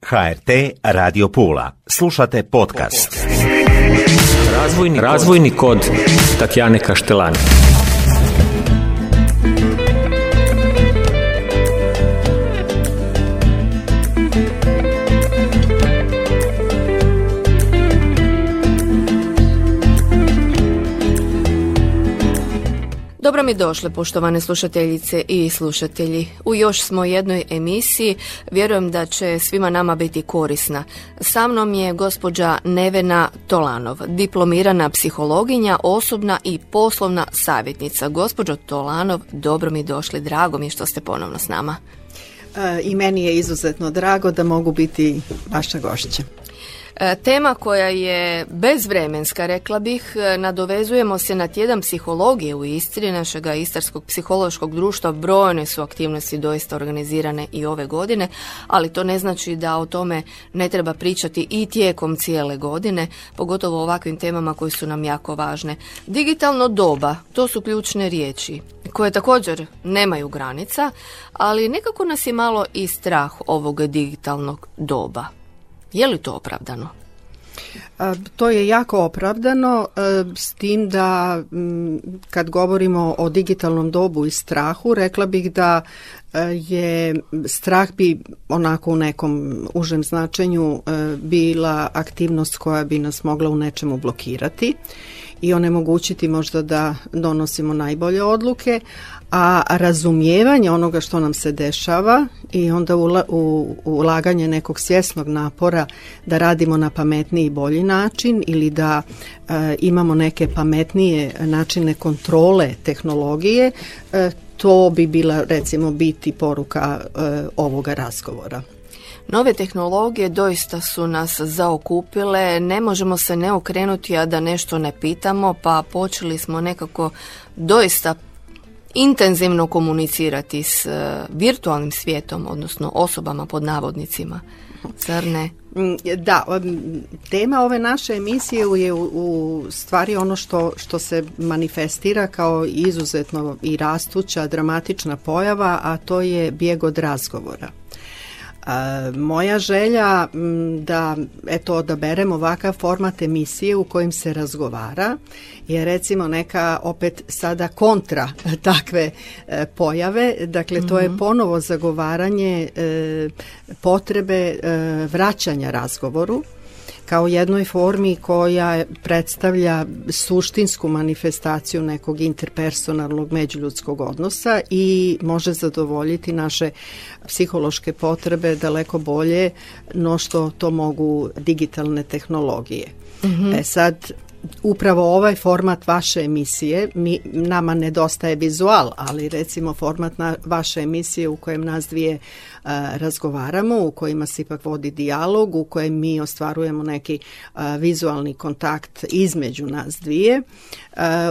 HRT Radio Pula. Slušate podcast. Razvojni kod Tatjane Kaštelani. Dobro mi došle, poštovane slušateljice i slušatelji. U još smo jednoj emisiji, vjerujem da će svima nama biti korisna. Sa mnom je gospođa Nevena Tolanov, diplomirana psihologinja, osobna i poslovna savjetnica. Gospođo Tolanov, dobro mi došli, drago mi je što ste ponovno s nama. I meni je izuzetno drago da mogu biti vaša gošća. Tema koja je bezvremenska, rekla bih, nadovezujemo se na tjedan psihologije u Istri, našega Istarskog psihološkog društva. Brojne su aktivnosti doista organizirane i ove godine, ali to ne znači da o tome ne treba pričati i tijekom cijele godine, pogotovo o ovakvim temama koje su nam jako važne. Digitalno doba, to su ključne riječi koje također nemaju granica, ali nekako nas je malo i strah ovog digitalnog doba. Je li to opravdano? To je jako opravdano, s tim da kad govorimo o digitalnom dobu i strahu, rekla bih da je strah bi onako u nekom užem značenju bila aktivnost koja bi nas mogla u nečemu blokirati i onemogućiti možda da donosimo najbolje odluke, a razumijevanje onoga što nam se dešava i onda ulaganje nekog svjesnog napora da radimo na pametniji i bolji način ili da imamo neke pametnije načine kontrole tehnologije, to bi bila recimo biti poruka ovoga razgovora. Nove tehnologije doista su nas zaokupile, ne možemo se ne okrenuti a da nešto ne pitamo, pa počeli smo nekako doista intenzivno komunicirati s virtualnim svijetom, odnosno osobama pod navodnicima, zar ne? Da, tema ove naše emisije je u stvari ono što se manifestira kao izuzetno i rastuća, dramatična pojava, a to je bijeg od razgovora. Moja želja da odaberem ovakav format emisije u kojim se razgovara je recimo neka opet sada kontra takve pojave, dakle to je ponovo zagovaranje potrebe vraćanja razgovoru kao jednoj formi koja predstavlja suštinsku manifestaciju nekog interpersonalnog međuljudskog odnosa i može zadovoljiti naše psihološke potrebe daleko bolje no što to mogu digitalne tehnologije. Sad, upravo ovaj format vaše emisije, nama nedostaje vizual, ali recimo format vaše emisije u kojem nas dvije razgovaramo, u kojima se ipak vodi dijalog, u kojem mi ostvarujemo neki vizualni kontakt između nas dvije,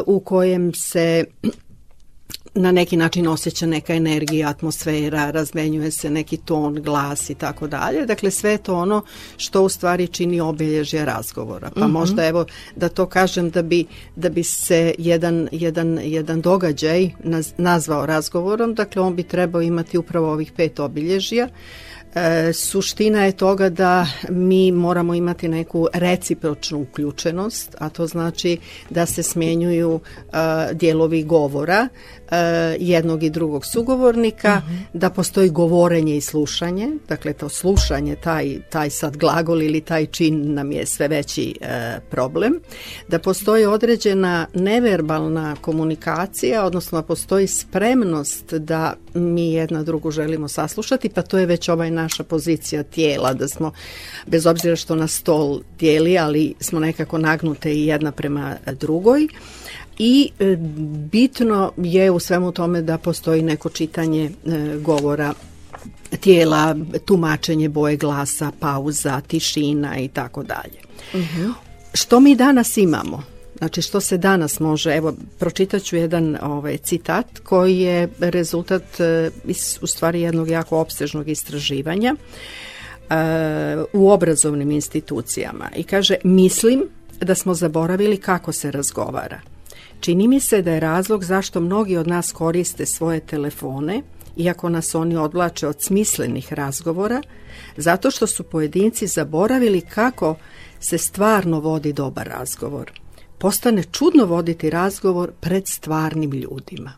u kojem se na neki način osjeća neka energija, atmosfera, razmenjuje se neki ton, glas i tako dalje. Dakle, sve je to ono što u stvari čini obilježje razgovora. Pa možda evo da to kažem da bi se jedan događaj nazvao razgovorom, dakle on bi trebao imati upravo ovih 5 obilježja. Suština je toga da mi moramo imati neku recipročnu uključenost, a to znači da se smjenjuju dijelovi govora jednog i drugog sugovornika, da postoji govorenje i slušanje, dakle to slušanje, taj sad glagol ili taj čin nam je sve veći problem, da postoji određena neverbalna komunikacija, odnosno postoji spremnost da mi jedna drugu želimo saslušati, pa to je već naša pozicija tijela, da smo, bez obzira što nas stol dijeli, ali smo nekako nagnute i jedna prema drugoj. I bitno je u svemu tome da postoji neko čitanje govora tijela, tumačenje boje glasa, pauza, tišina i tako dalje. Što mi danas imamo? Znači što se danas može, evo pročitat ću jedan citat koji je rezultat u stvari jednog jako opsežnog istraživanja u obrazovnim institucijama i kaže: mislim da smo zaboravili kako se razgovara. Čini mi se da je razlog zašto mnogi od nas koriste svoje telefone iako nas oni odvlače od smislenih razgovora, zato što su pojedinci zaboravili kako se stvarno vodi dobar razgovor. Postane čudno voditi razgovor pred stvarnim ljudima.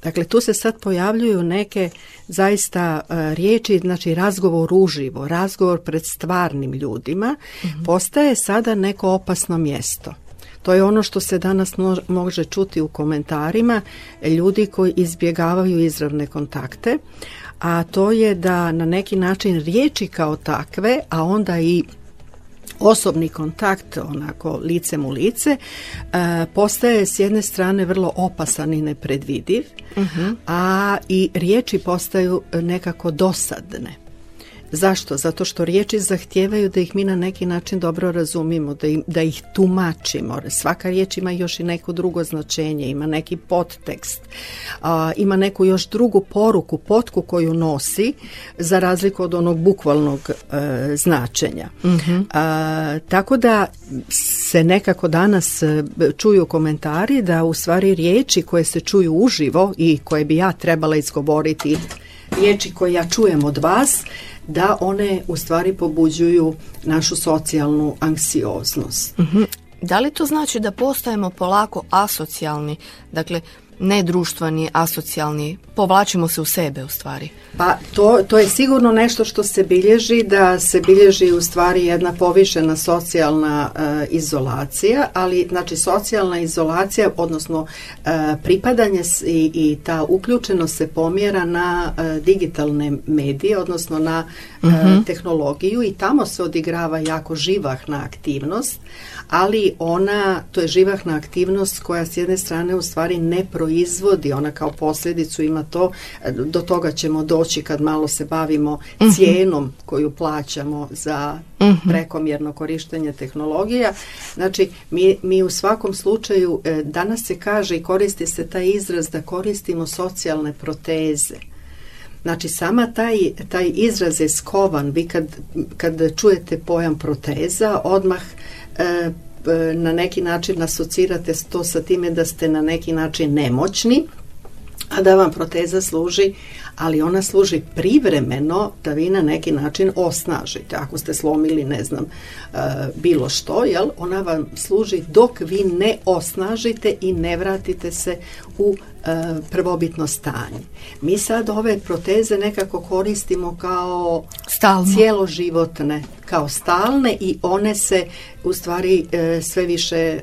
Dakle, tu se sad pojavljuju neke zaista riječi, znači razgovor uživo, razgovor pred stvarnim ljudima, postaje sada neko opasno mjesto. To je ono što se danas može čuti u komentarima ljudi koji izbjegavaju izravne kontakte, a to je da na neki način riječi kao takve, a onda i osobni kontakt, onako licem u lice, postaje s jedne strane vrlo opasan i nepredvidiv, a i riječi postaju nekako dosadne. Zašto? Zato što riječi zahtijevaju da ih mi na neki način dobro razumimo, da ih tumačimo. Svaka riječ ima još i neko drugo značenje, ima neki podtekst, ima neku još drugu poruku, potku koju nosi, za razliku od onog bukvalnog značenja. Tako da se nekako danas čuju komentari da u stvari riječi koje se čuju uživo i koje bi ja trebala izgovoriti, riječi koje ja čujem od vas, da one u stvari pobuđuju našu socijalnu anksioznost. Da li to znači da postajemo polako asocijalni, dakle nedruštveni, asocijalni, povlačimo se u sebe u stvari? Pa to je sigurno nešto što se bilježi, da se bilježi u stvari jedna povišena socijalna izolacija, ali znači socijalna izolacija, odnosno pripadanje i ta uključenost se pomjera na digitalne medije, odnosno na tehnologiju, i tamo se odigrava jako živahna aktivnost, ali to je živahna aktivnost koja s jedne strane u stvari ne proizvodi, ona kao posljedicu ima to, do toga ćemo doći kad malo se bavimo cijenom koju plaćamo za prekomjerno korištenje tehnologija. Znači, mi u svakom slučaju, danas se kaže i koristi se taj izraz da koristimo socijalne proteze. Znači, sama taj izraz je skovan. Vi kad čujete pojam proteza, odmah na neki način asocirate to sa time da ste na neki način nemoćni, a da vam proteza služi, ali ona služi privremeno da vi na neki način osnažite. Ako ste slomili, ne znam, bilo što, jel, ona vam služi dok vi ne osnažite i ne vratite se u prvobitno stanje. Mi sad ove proteze nekako koristimo kao cijeloživotne, kao stalne, i one se u stvari sve više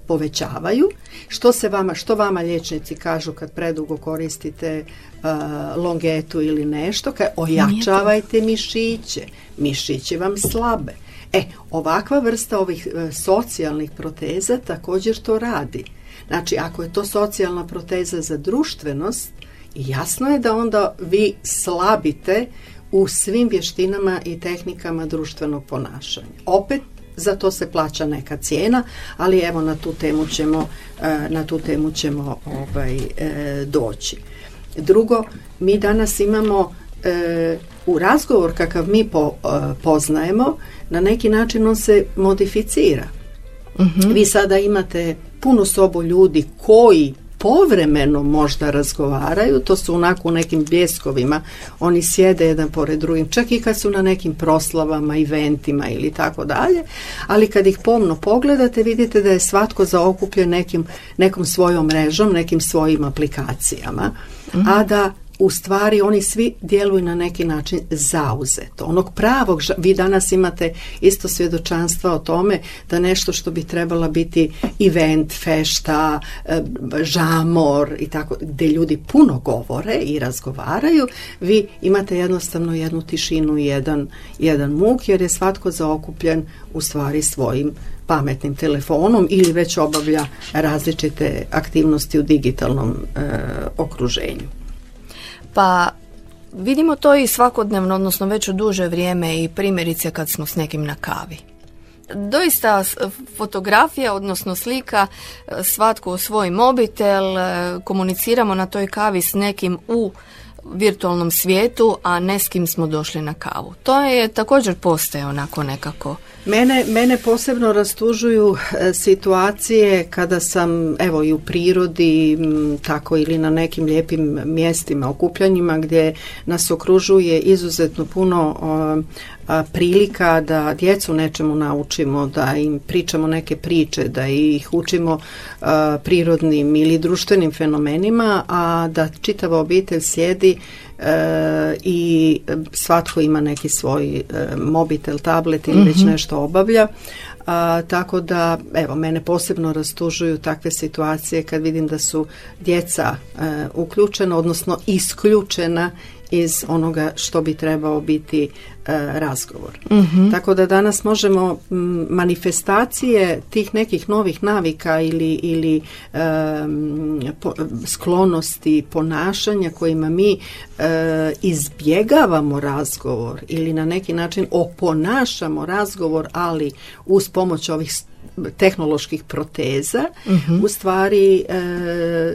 povećavaju. Što vama liječnici kažu kad predugo koristite longetu ili nešto? Ojačavajte mišiće. Mišići vam slabe. Ovakva vrsta ovih socijalnih proteza također to radi. Znači, ako je to socijalna proteza za društvenost, jasno je da onda vi slabite u svim vještinama i tehnikama društvenog ponašanja. Opet, za to se plaća neka cijena, ali evo na tu temu ćemo doći. Drugo, mi danas imamo u razgovor kakav mi poznajemo, na neki način on se modificira. Vi sada imate punu sobu ljudi koji povremeno možda razgovaraju, to su onako u nekim bljeskovima, oni sjede jedan pored drugim, čak i kad su na nekim proslavama, eventima ili tako dalje, ali kad ih pomno pogledate, vidite da je svatko zaokupljen nekom svojom mrežom, nekim svojim aplikacijama, a da u stvari oni svi djeluju na neki način zauzeto. Onog pravog, vi danas imate isto svjedočanstva o tome da nešto što bi trebala biti event, fešta, žamor i tako, gdje ljudi puno govore i razgovaraju, vi imate jednostavno jednu tišinu i jedan muk, jer je svatko zaokupljen u stvari svojim pametnim telefonom ili već obavlja različite aktivnosti u digitalnom okruženju. Pa vidimo to i svakodnevno, odnosno već u duže vrijeme, i primjerice kad smo s nekim na kavi. Doista fotografija, odnosno slika, svatko u svoj mobitel, komuniciramo na toj kavi s nekim u virtualnom svijetu, a ne s kim smo došli na kavu. To je također postaje onako nekako. Mene posebno rastužuju situacije kada sam evo i u prirodi, tako ili na nekim lijepim mjestima, okupljanjima gdje nas okružuje izuzetno puno prilika da djecu nečemu naučimo, da im pričamo neke priče, da ih učimo prirodnim ili društvenim fenomenima, a da čitava obitelj sjedi i svatko ima neki svoj mobitel, tablet ili već nešto obavlja. Tako da, evo, mene posebno rastužuju takve situacije kad vidim da su djeca uključena, odnosno isključena iz onoga što bi trebao biti razgovor. Tako da danas možemo manifestacije tih nekih novih navika ili sklonosti ponašanja kojima mi izbjegavamo razgovor ili na neki način oponašamo razgovor, ali uz pomoć ovih tehnoloških proteza, u stvari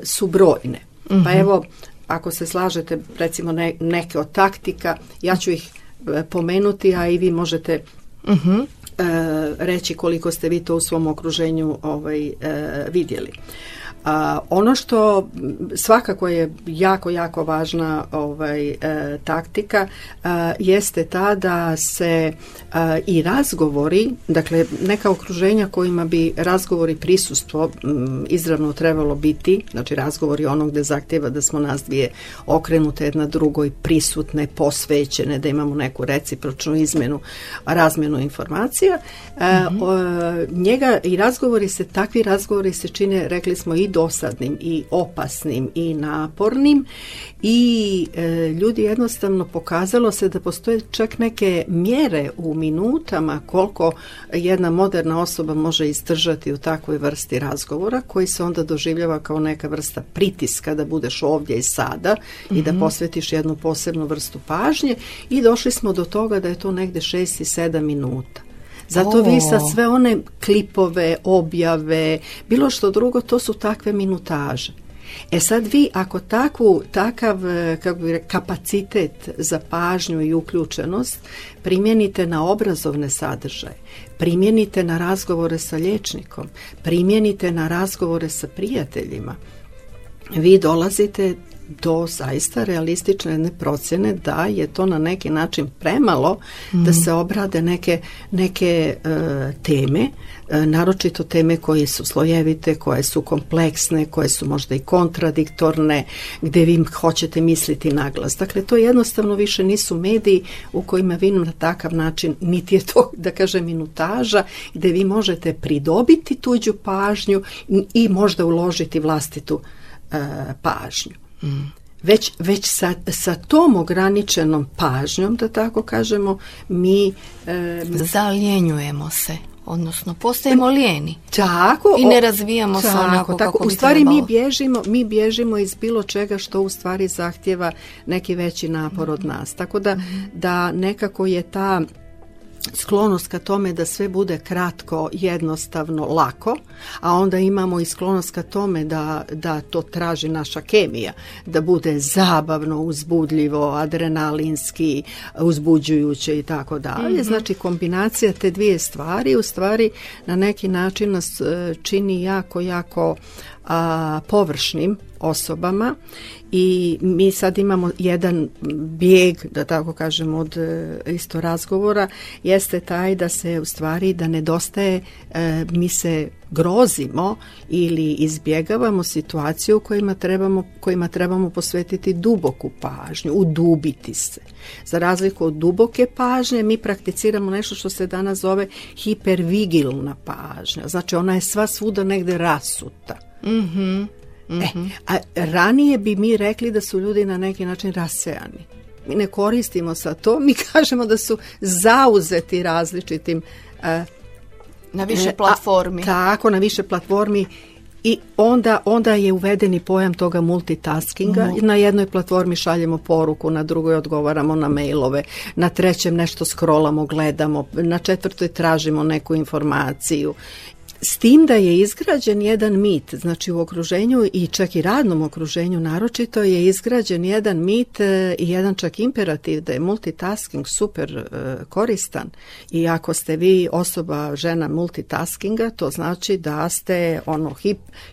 su brojne. Pa evo, ako se slažete, recimo neke od taktika, ja ću ih pomenuti, a i vi možete reći koliko ste vi to u svom okruženju vidjeli. Ono što svakako je jako, jako važna taktika jeste ta da se i razgovori, dakle neka okruženja kojima bi razgovori prisustvo izravno trebalo biti, znači razgovori ono gdje zahtjeva da smo nas dvije okrenute jedna drugoj, prisutne, posvećene, da imamo neku recipročnu razmjenu informacija. Njega i takvi razgovori se čine, rekli smo, i dosadnim i opasnim i napornim i ljudi jednostavno pokazalo se da postoje čak neke mjere u minutama koliko jedna moderna osoba može izdržati u takvoj vrsti razgovora koji se onda doživljava kao neka vrsta pritiska da budeš ovdje i sada i da posvetiš jednu posebnu vrstu pažnje i došli smo do toga da je to negdje 6 i 7 minuta. Zato vi sad sve one klipove, objave, bilo što drugo, to su takve minutaže. Sad vi ako takav kapacitet za pažnju i uključenost primijenite na obrazovne sadržaje, primijenite na razgovore sa liječnikom, primijenite na razgovore sa prijateljima, vi dolazite do zaista realistične jedne procjene da je to na neki način premalo da se obrade neke teme, naročito teme koje su slojevite, koje su kompleksne, koje su možda i kontradiktorne, gdje vi hoćete misliti naglas. Dakle, to jednostavno više nisu mediji u kojima vi na takav način, niti je to, da kažem, minutaža, gdje vi možete pridobiti tuđu pažnju i možda uložiti vlastitu pažnju. Već sa tom ograničenom pažnjom, da tako kažemo, mi zaljenjujemo se, odnosno postajemo lijeni. Tako, i ne razvijamo se onako kako bi u stvari trebalo. mi bježimo iz bilo čega što u stvari zahtjeva neki veći napor od nas. Tako da nekako je ta sklonost ka tome da sve bude kratko, jednostavno, lako, a onda imamo i sklonost ka tome da to traži naša kemija, da bude zabavno, uzbudljivo, adrenalinski, uzbuđujuće i tako dalje. Znači kombinacija te dvije stvari u stvari na neki način nas čini jako, jako površnim osobama i mi sad imamo jedan bijeg, da tako kažem, od isto razgovora, jeste taj da se u stvari da nedostaje, mi se grozimo ili izbjegavamo situaciju kojima trebamo posvetiti duboku pažnju, udubiti se. Za razliku od duboke pažnje mi prakticiramo nešto što se danas zove hipervigilna pažnja. Znači ona je sva svuda negdje rasuta. A ranije bi mi rekli da su ljudi na neki način rasejani. Mi ne koristimo sa to, mi kažemo da su zauzeti različitim na više platformi. Tako, na više platformi i onda je uvedeni pojam toga multitaskinga. Na jednoj platformi šaljemo poruku, na drugoj odgovaramo na mailove, na trećem nešto scrollamo, gledamo, na četvrtoj tražimo neku informaciju. S tim da je izgrađen jedan mit, znači u okruženju i čak i radnom okruženju naročito je izgrađen jedan mit i jedan čak imperativ da je multitasking super koristan i ako ste vi osoba, žena multitaskinga, to znači da ste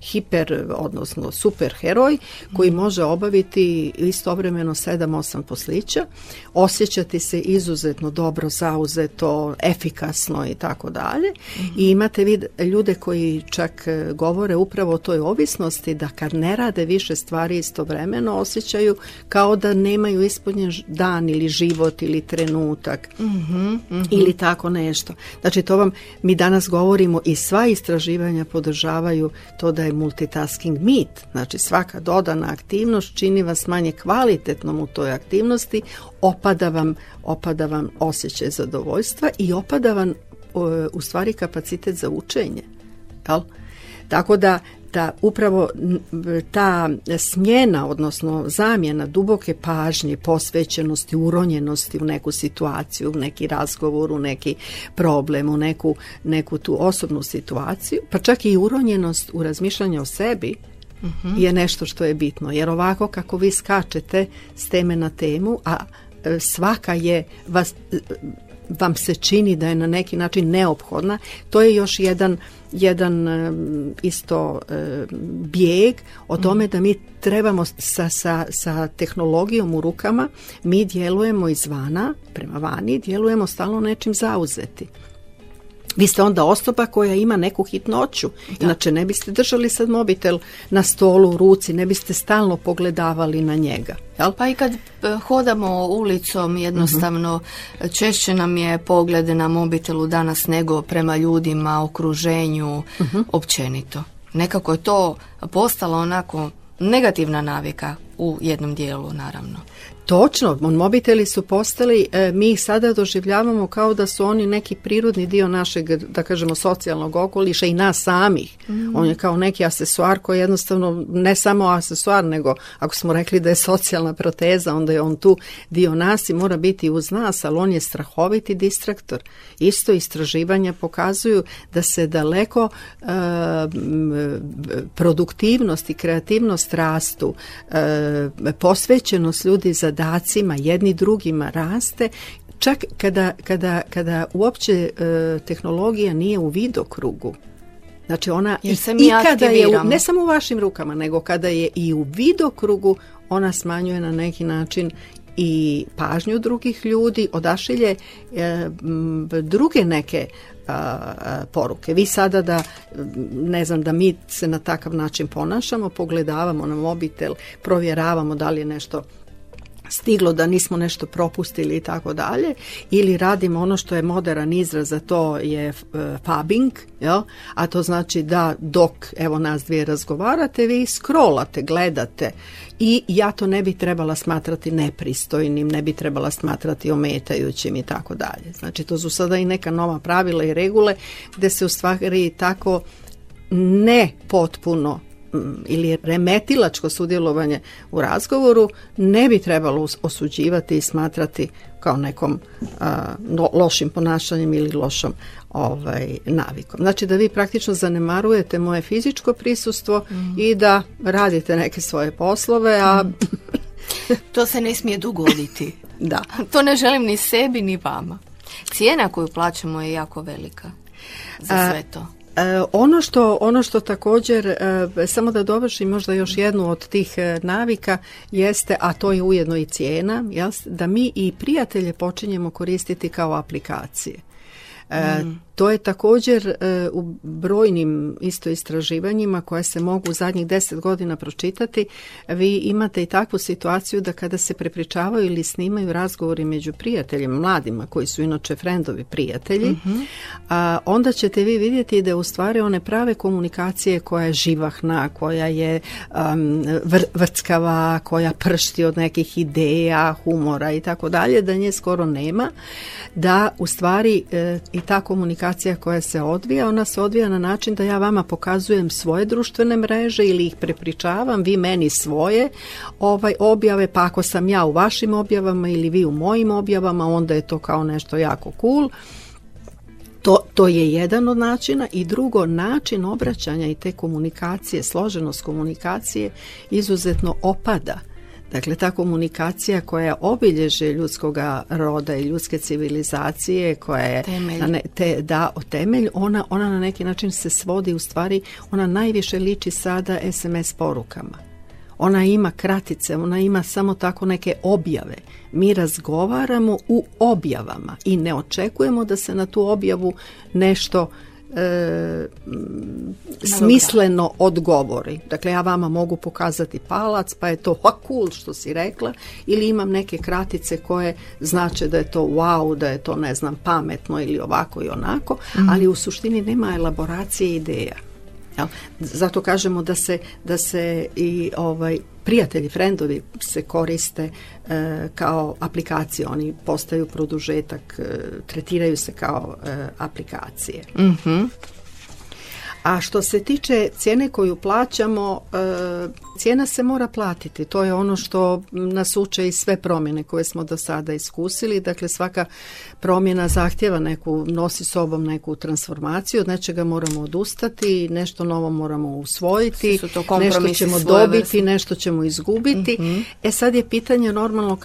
hiper, odnosno super heroj koji može obaviti istovremeno 7-8 poslića, osjećati se izuzetno dobro, zauzeto, efikasno i tako dalje. I imate vi ljude koji čak govore upravo o toj ovisnosti da kad ne rade više stvari istovremeno osjećaju kao da nemaju ispunjen dan ili život ili trenutak ili tako nešto. Znači mi danas govorimo i sva istraživanja podržavaju to da je multitasking mit. Znači svaka dodana aktivnost čini vas manje kvalitetnom u toj aktivnosti, opada vam osjećaj zadovoljstva i opada vam u stvari kapacitet za učenje. Jel? Tako da upravo ta smjena, odnosno zamjena duboke pažnje, posvećenosti, uronjenosti u neku situaciju, u neki razgovor, u neki problem, u neku tu osobnu situaciju, pa čak i uronjenost u razmišljanje o sebi je nešto što je bitno. Jer ovako kako vi skačete s teme na temu, a svaka je vam se čini da je na neki način neophodna, to je još jedan isto bijeg o tome da mi trebamo sa tehnologijom u rukama, mi djelujemo izvana, prema vani, djelujemo stalno nečim zauzeti. Vi ste onda osoba koja ima neku hitnoću, inače ne biste držali sad mobitel na stolu u ruci, ne biste stalno pogledavali na njega. Jel? Pa i kad hodamo ulicom jednostavno češće nam je pogled na mobitelu danas nego prema ljudima, okruženju, općenito. Nekako je to postalo onako negativna navika u jednom dijelu, naravno. Točno, mobiteli su postali, mi ih sada doživljavamo kao da su oni neki prirodni dio našeg, da kažemo, socijalnog okoliša i nas samih. On je kao neki aksesuar koji jednostavno, ne samo aksesuar, nego ako smo rekli da je socijalna proteza, onda je on tu dio nas i mora biti uz nas, ali on je strahoviti distraktor. Isto istraživanja pokazuju da se daleko produktivnost i kreativnost rastu, posvećenost ljudi zadacima jedni drugima raste, čak kada uopće tehnologija nije u vidokrugu. Znači ona i kada je ne samo u vašim rukama, nego kada je i u vidokrugu, ona smanjuje na neki način i pažnju drugih ljudi, odašilje druge neke poruke. Vi sada da mi se na takav način ponašamo, pogledavamo na mobitel, provjeravamo da li je nešto stiglo, da nismo nešto propustili i tako dalje, ili radimo ono što je moderan izraz, za to je fabbing, jel? A to znači da dok evo nas dvije razgovarate, vi scrollate, gledate i ja to ne bi trebala smatrati nepristojnim, ne bi trebala smatrati ometajućim i tako dalje. Znači to su sada i neka nova pravila i regule gdje se u stvari tako ne potpuno ili remetilačko sudjelovanje u razgovoru ne bi trebalo osuđivati i smatrati kao nekom lošim ponašanjem ili lošom navikom. Znači da vi praktično zanemarujete moje fizičko prisustvo i da radite neke svoje poslove, a to se ne smije dogoditi. Da. To ne želim ni sebi ni vama. Cijena koju plaćamo je jako velika za sve to. Ono što također, samo da dovršim možda još jednu od tih navika jeste, a to je ujedno i cijena, da mi i prijatelje počinjemo koristiti kao aplikacije. To je također u brojnim isto istraživanjima koje se mogu u zadnjih 10 godina pročitati. Vi imate i takvu situaciju da kada se prepričavaju ili snimaju razgovori među prijateljima, mladima koji su inače frendovi prijatelji, onda ćete vi vidjeti da u stvari one prave komunikacije koja je živahna, koja je vrckava, koja pršti od nekih ideja, humora i tako dalje, da nje skoro nema, da u stvari i ta komunikacija koja se odvija, ona se odvija na način da ja vama pokazujem svoje društvene mreže ili ih prepričavam, vi meni svoje objave, pa ako sam ja u vašim objavama ili vi u mojim objavama, onda je to kao nešto jako cool. To je jedan od načina i drugo, način obraćanja i te komunikacije, složenost komunikacije izuzetno opada. Dakle, ta komunikacija koja obilježe ljudskoga roda i ljudske civilizacije, koja je temelj, ona na neki način se svodi, u stvari ona najviše liči sada SMS porukama. Ona ima kratice, ona ima samo tako neke objave. Mi razgovaramo u objavama i ne očekujemo da se na tu objavu nešto smisleno odgovori. Dakle, ja vama mogu pokazati palac, pa je to cool što si rekla, ili imam neke kratice koje znače da je to wow, da je to ne znam pametno ili ovako i onako, ali u suštini nema elaboracije ideja. Zato kažemo da se i prijatelji, frendovi se koriste kao aplikacije, oni postaju produžetak, tretiraju se kao aplikacije. Mm-hmm. A što se tiče cijene koju plaćamo, cijena se mora platiti. To je ono što nas uče i sve promjene koje smo do sada iskusili. Dakle, svaka promjena zahtjeva nosi sobom neku transformaciju, od nečega moramo odustati, nešto novo moramo usvojiti, nešto ćemo dobiti, nešto ćemo izgubiti. Mm-hmm. Sad je pitanje normalno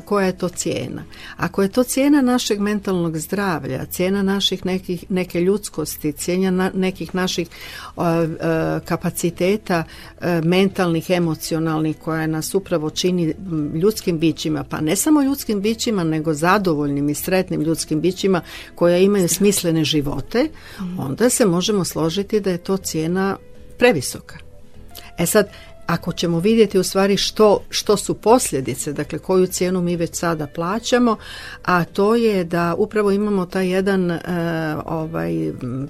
koja je to cijena. Ako je to cijena našeg mentalnog zdravlja, cijena neke ljudskosti, cijena nekih naših kapaciteta mentalnih, emocionalnih, koja nas upravo čini ljudskim bićima, pa ne samo ljudskim bićima, nego zadovoljnim i sretnim ljudskim bićima koja imaju smislene živote, onda se možemo složiti da je to cijena previsoka. Sad, ako ćemo vidjeti u stvari što su posljedice, dakle koju cijenu mi već sada plaćamo, a to je da upravo imamo taj jedan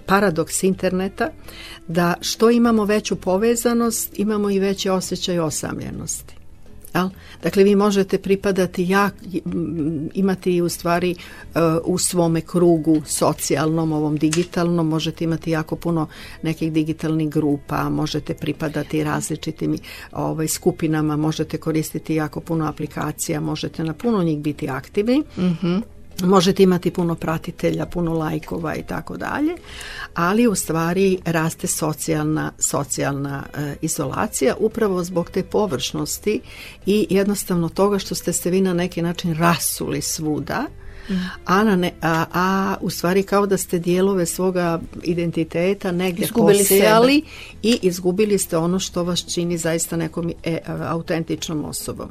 paradoks interneta, da što imamo veću povezanost, imamo i veći osjećaj osamljenosti. Dakle, vi možete pripadati, imati u stvari u svome krugu socijalnom, ovom digitalnom, možete imati jako puno nekih digitalnih grupa, možete pripadati različitim skupinama, možete koristiti jako puno aplikacija, možete na puno njih biti aktivni. Mm-hmm. Možete imati puno pratitelja, puno lajkova i tako dalje, ali u stvari raste socijalna izolacija upravo zbog te površnosti i jednostavno toga što ste se vi na neki način rasuli svuda, a u stvari kao da ste dijelove svoga identiteta negdje posejali i izgubili ste ono što vas čini zaista nekom autentičnom osobom.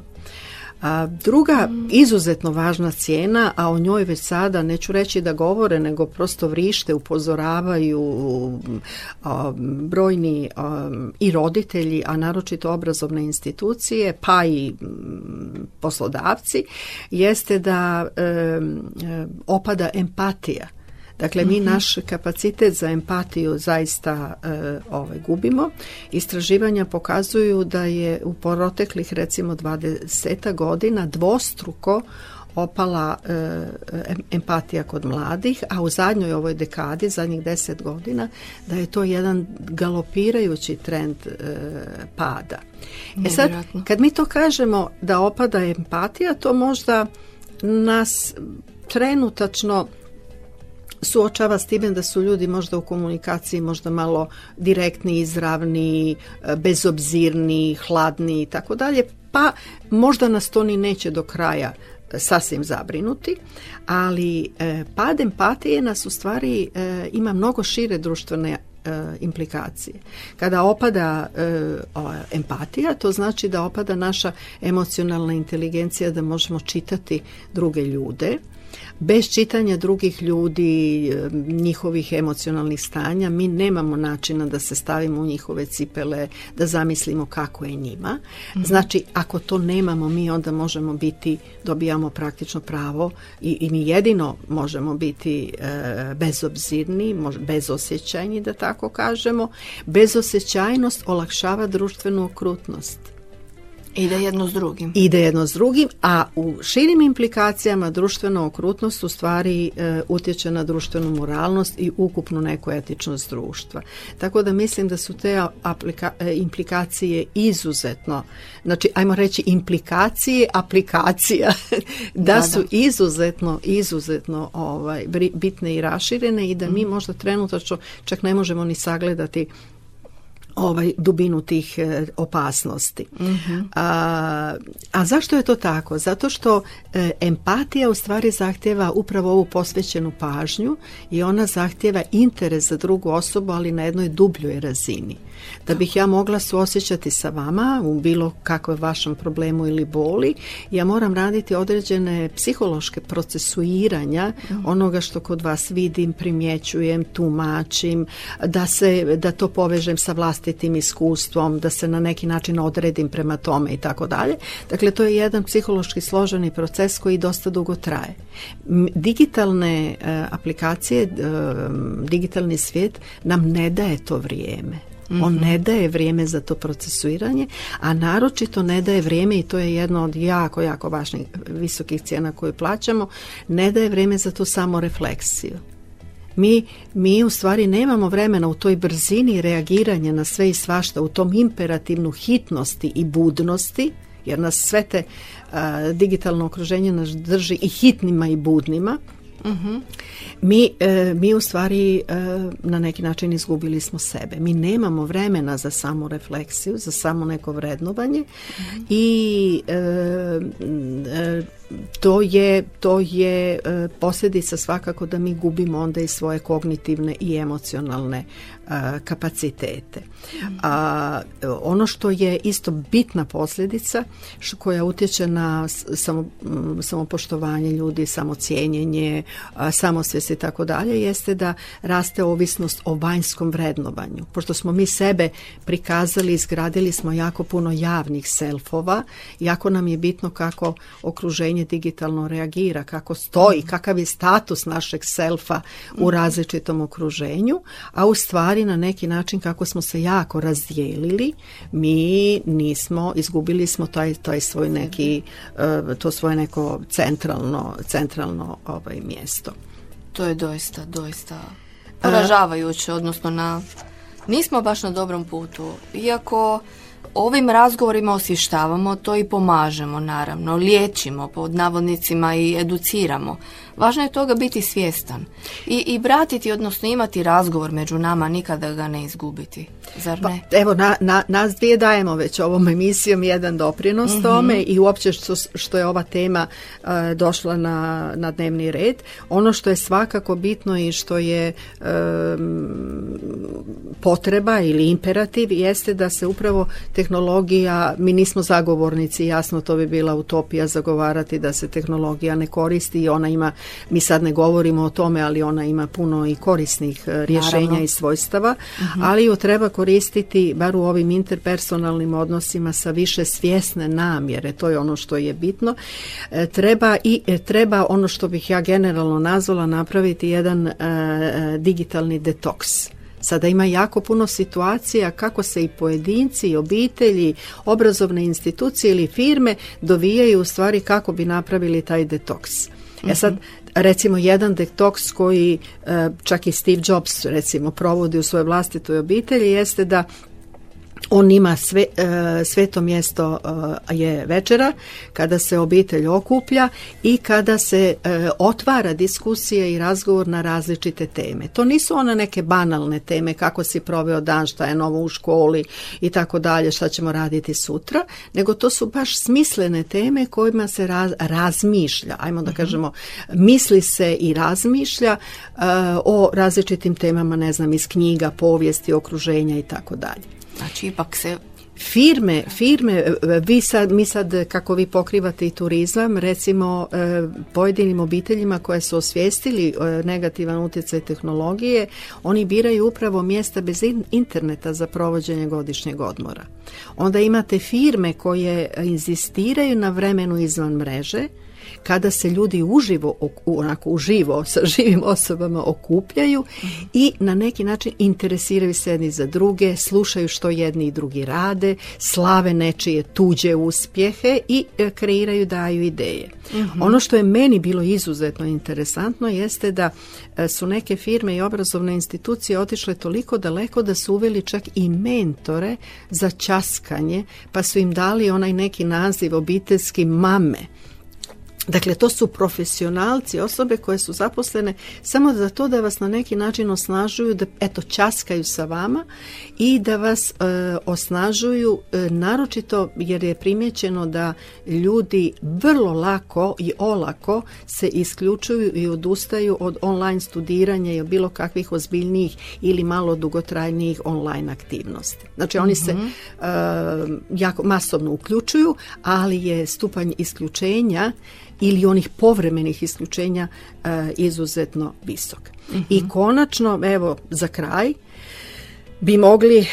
Druga izuzetno važna cijena, a o njoj već sada neću reći da govore, nego prosto vrište, upozoravaju brojni i roditelji, a naročito obrazovne institucije, pa i poslodavci, jeste da opada empatija. Dakle, mi naš kapacitet za empatiju zaista gubimo. Istraživanja pokazuju da je u proteklih recimo 20 godina dvostruko opala empatija kod mladih, a u zadnjoj ovoj dekadi, zadnjih 10 godina, da je to jedan galopirajući trend pada. Sad, kad mi to kažemo da opada empatija, to možda nas trenutačno suočava s time da su ljudi možda u komunikaciji možda malo direktni, izravni, bezobzirni, hladni i tako dalje, pa možda nas to ni neće do kraja sasvim zabrinuti, ali pad empatije nas u stvari ima mnogo šire društvene implikacije. Kada opada empatija, to znači da opada naša emocionalna inteligencija, da možemo čitati druge ljude. Bez čitanja drugih ljudi, njihovih emocionalnih stanja, mi nemamo načina da se stavimo u njihove cipele, da zamislimo kako je njima. Znači, ako to nemamo, mi onda možemo dobijamo praktično pravo i mi jedino možemo biti bezobzirni, bezosjećajni, da tako kažemo. Bezosjećajnost olakšava društvenu okrutnost. Ide jedno s drugim. Ide jedno s drugim, a u širim implikacijama društvena okrutnost u stvari utječe na društvenu moralnost i ukupnu neku etičnost društva. Tako da mislim da su te implikacije izuzetno, znači ajmo reći implikacije aplikacija, da su izuzetno bitne i raširene i da mi možda trenutačno čak ne možemo ni sagledati dubinu tih opasnosti. A zašto je to tako? Zato što empatija u stvari zahtjeva upravo ovu posvećenu pažnju i ona zahtjeva interes za drugu osobu, ali na jednoj dubljoj razini. Da bih ja mogla suosjećati sa vama u bilo kakvom vašem problemu ili boli, ja moram raditi određene psihološke procesuiranja onoga što kod vas vidim, primjećujem, tumačim, da to povežem sa vlastitim iskustvom, da se na neki način odredim prema tome i tako dalje. Dakle, to je jedan psihološki složeni proces koji dosta dugo traje. Digitalne aplikacije, digitalni svijet nam ne daje to vrijeme. On ne daje vrijeme za to procesuiranje, a naročito ne daje vrijeme, i to je jedno od jako, jako važnih visokih cijena koju plaćamo, ne daje vrijeme za tu samorefleksiju. Mi u stvari nemamo vremena u toj brzini reagiranja na sve i svašta, u tom imperativnu hitnosti i budnosti, jer nas sve te digitalno okruženje nas drži i hitnima i budnima. Mi u stvari na neki način izgubili smo sebe. Mi nemamo vremena za samu refleksiju, za samo neko vrednovanje i to je posljedica svakako da mi gubimo onda i svoje kognitivne i emocionalne kapacitete. Ono što je isto bitna posljedica koja utječe na samopoštovanje ljudi, samocijenjenje, samosvijest i tako dalje, jeste da raste ovisnost o vanjskom vrednovanju. Pošto smo mi sebe prikazali, izgradili smo jako puno javnih selfova, jako nam je bitno kako okruženje digitalno reagira, kako stoji, kakav je status našeg selfa u različitom okruženju, a u stvari na neki način kako smo se jako razdijelili, mi izgubili smo taj svoj neki, to svoje neko centralno mjesto. To je doista poražavajuće, odnosno nismo baš na dobrom putu. Iako ovim razgovorima osvještavamo to i pomažemo, naravno, liječimo pod navodnicima i educiramo. Važno je toga biti svjestan i vratiti, odnosno imati razgovor među nama, nikada ga ne izgubiti. Zar ne? Evo, nas dvije dajemo već ovom emisijom jedan doprinos tome i uopće što je ova tema došla na dnevni red. Ono što je svakako bitno i što je potreba ili imperativ jeste da se upravo tehnologija, mi nismo zagovornici, jasno to bi bila utopija zagovarati da se tehnologija ne koristi i ona ima, mi sad ne govorimo o tome, ali ona ima puno i korisnih rješenja, naravno, i svojstava, ali ju treba koristiti bar u ovim interpersonalnim odnosima sa više svjesne namjere, to je ono što je bitno. Treba ono što bih ja generalno nazvala napraviti jedan digitalni detoks. Sada ima jako puno situacija kako se i pojedinci, i obitelji, obrazovne institucije ili firme dovijaju u stvari kako bi napravili taj detoks. Sad, recimo jedan detoks koji čak i Steve Jobs recimo provodi u svojoj vlastitoj obitelji jeste da on ima sveto mjesto je večera kada se obitelj okuplja i kada se otvara diskusija i razgovor na različite teme. To nisu one neke banalne teme kako si proveo dan, šta je novo u školi i tako dalje, šta ćemo raditi sutra, nego to su baš smislene teme kojima se razmišlja, ajmo da kažemo, misli se i razmišlja o različitim temama, ne znam, iz knjiga, povijesti, okruženja i tako dalje. Znači, ipak se... Firme, mi sad kako vi pokrivate i turizam, recimo pojedinim obiteljima koje su osvijestili negativan utjecaj tehnologije, oni biraju upravo mjesta bez interneta za provođenje godišnjeg odmora. Onda imate firme koje inzistiraju na vremenu izvan mreže, kada se ljudi uživo sa živim osobama okupljaju i na neki način interesiraju se jedni za druge, slušaju što jedni i drugi rade, slave nečije tuđe uspjehe i kreiraju, daju ideje. Ono što je meni bilo izuzetno interesantno jeste da su neke firme i obrazovne institucije otišle toliko daleko da su uveli čak i mentore za ćaskanje, pa su im dali onaj neki naziv obiteljski mame. Dakle, to su profesionalci, osobe koje su zaposlene samo za to da vas na neki način osnažuju, da ćaskaju sa vama i da vas osnažuju, naročito jer je primijećeno da ljudi vrlo lako i olako se isključuju i odustaju od online studiranja i od bilo kakvih ozbiljnijih ili malo dugotrajnijih online aktivnosti. Znači, oni se jako masovno uključuju, ali je stupanj isključenja ili onih povremenih isključenja izuzetno visok. I konačno, evo, za kraj, bi mogli,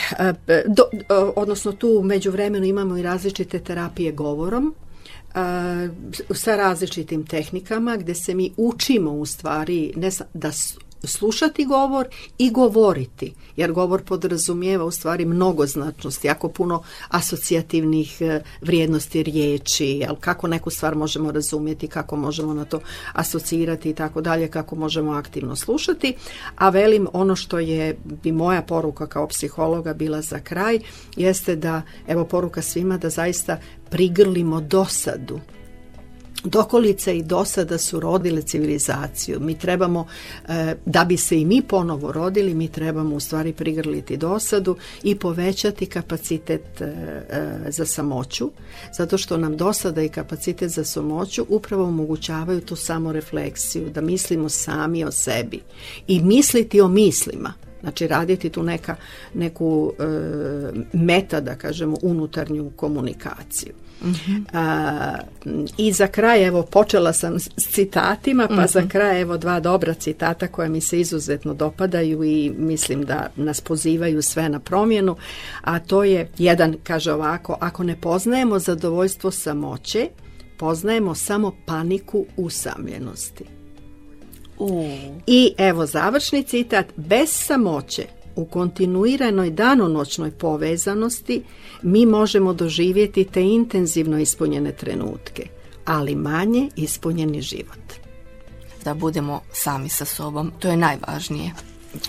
odnosno tu u međuvremenu imamo i različite terapije govorom, sa različitim tehnikama gdje se mi učimo u stvari ne da slušati govor i govoriti, jer govor podrazumijeva u stvari mnogoznačnost, jako puno asocijativnih vrijednosti riječi, kako neku stvar možemo razumjeti, kako možemo na to asocirati i tako dalje, kako možemo aktivno slušati. A velim, ono što bi moja poruka kao psihologa bila za kraj, jeste da, evo, poruka svima da zaista prigrlimo dosadu. Dokolice i dosada su rodile civilizaciju. Mi trebamo, da bi se i mi ponovo rodili, mi trebamo u stvari prigrliti dosadu i povećati kapacitet za samoću, zato što nam dosada i kapacitet za samoću upravo omogućavaju tu samorefleksiju, da mislimo sami o sebi i misliti o mislima. Znači, raditi tu neku meta, da kažemo, unutarnju komunikaciju. I za kraj, evo, počela sam s citatima, pa za kraj, evo, 2 dobra citata koja mi se izuzetno dopadaju i mislim da nas pozivaju sve na promjenu, a to je, jedan kaže ovako: ako ne poznajemo zadovoljstvo samoće, poznajemo samo paniku usamljenosti. I evo završni citat: bez samoće u kontinuiranoj danonoćnoj povezanosti mi možemo doživjeti te intenzivno ispunjene trenutke, ali manje ispunjeni život. Da budemo sami sa sobom, to je najvažnije.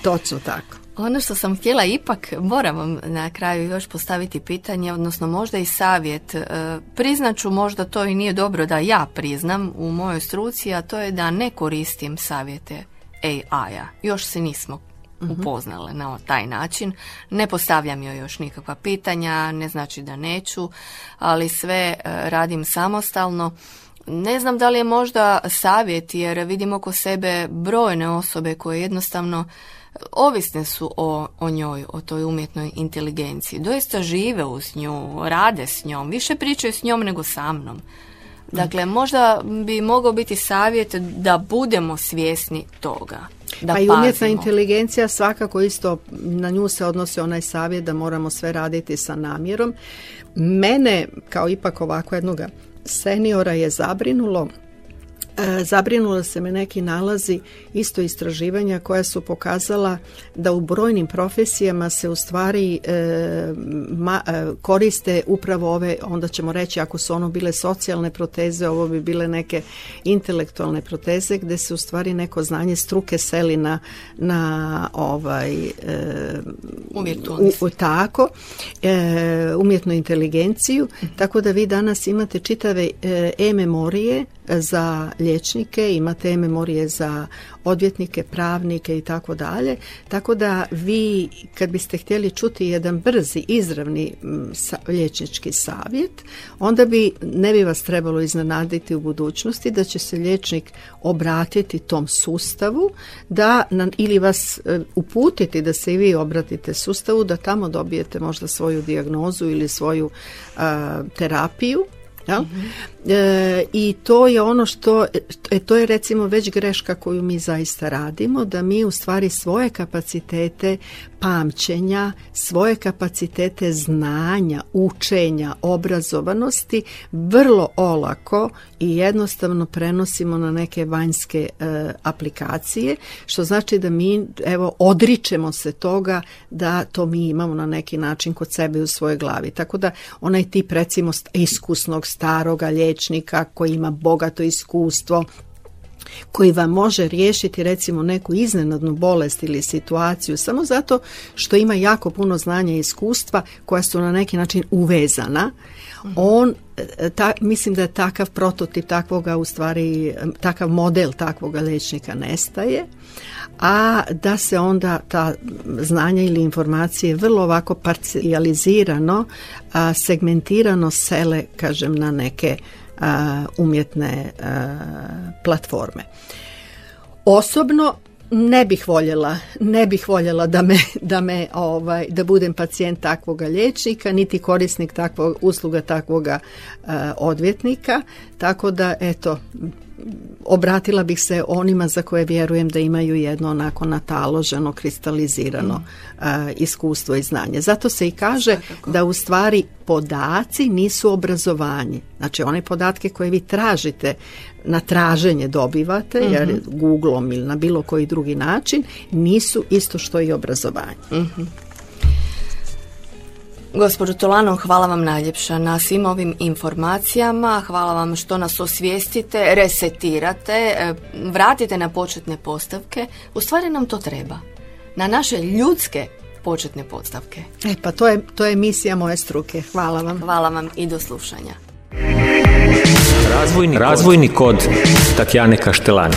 Točno tako. Ono što sam htjela, ipak moram vam na kraju još postaviti pitanje, odnosno možda i savjet. Priznaću, možda to i nije dobro da ja priznam u mojoj struci, a to je da ne koristim savjete AI-a. Još se nismo upoznale na taj način. Ne postavljam joj još nikakva pitanja, ne znači da neću, ali sve radim samostalno. Ne znam da li je možda savjet, jer vidim oko sebe brojne osobe koje jednostavno ovisne su o njoj, o toj umjetnoj inteligenciji. Doista žive uz nju, rade s njom, više pričaju s njom nego sa mnom. Dakle, možda bi mogao biti savjet da budemo svjesni toga. Da pa i umjetna inteligencija svakako isto, na nju se odnosi onaj savjet da moramo sve raditi sa namjerom. Mene, kao ipak ovako jednog seniora, je zabrinula se me neki nalazi isto istraživanja koja su pokazala da u brojnim profesijama se u stvari koriste upravo ove, onda ćemo reći, ako su ono bile socijalne proteze, ovo bi bile neke intelektualne proteze, gdje se u stvari neko znanje struke seli na umjetnu inteligenciju, tako da vi danas imate čitave e-memorije za liječnike, imate e-memorije za odvjetnike, pravnike i tako dalje. Tako da vi, kad biste htjeli čuti jedan brzi, izravni liječnički savjet, onda ne bi vas trebalo iznenaditi u budućnosti da će se liječnik obratiti tom sustavu ili vas uputiti da se i vi obratite sustavu, da tamo dobijete možda svoju dijagnozu ili svoju terapiju. Jel? I to je ono što, to je recimo već greška koju mi zaista radimo, da mi u stvari svoje kapacitete pamćenja, svoje kapacitete znanja, učenja, obrazovanosti vrlo olako i jednostavno prenosimo na neke vanjske aplikacije, što znači da mi odričemo se toga da to mi imamo na neki način kod sebe u svojoj glavi. Tako da onaj tip recimo iskusnog staroga liječnika koji ima bogato iskustvo, koji vam može riješiti recimo neku iznenadnu bolest ili situaciju samo zato što ima jako puno znanja i iskustva koja su na neki način uvezana. Mislim da je takav prototip takvoga, u stvari takav model takvoga liječnika nestaje, a da se onda ta znanja ili informacije vrlo ovako parcijalizirano, segmentirano sele, kažem, na neke umjetne platforme. Osobno ne bih voljela da budem pacijent takvoga liječnika, niti korisnik takvog usluga takvoga odvjetnika, tako da obratila bih se onima za koje vjerujem da imaju jedno onako nataloženo, kristalizirano iskustvo i znanje. Zato se i kaže da u stvari podaci nisu obrazovanje. Znači one podatke koje vi tražite, na traženje dobivate, jer Googlom ili na bilo koji drugi način, nisu isto što i obrazovanje. Gospođo Tolano, hvala vam najljepša na svim ovim informacijama, hvala vam što nas osvijestite, resetirate, vratite na početne postavke. U stvari nam to treba, na naše ljudske početne postavke. Pa to je misija moje struke. Hvala vam. Hvala vam i do slušanja. Razvojni kod Tatjane Kaštelani.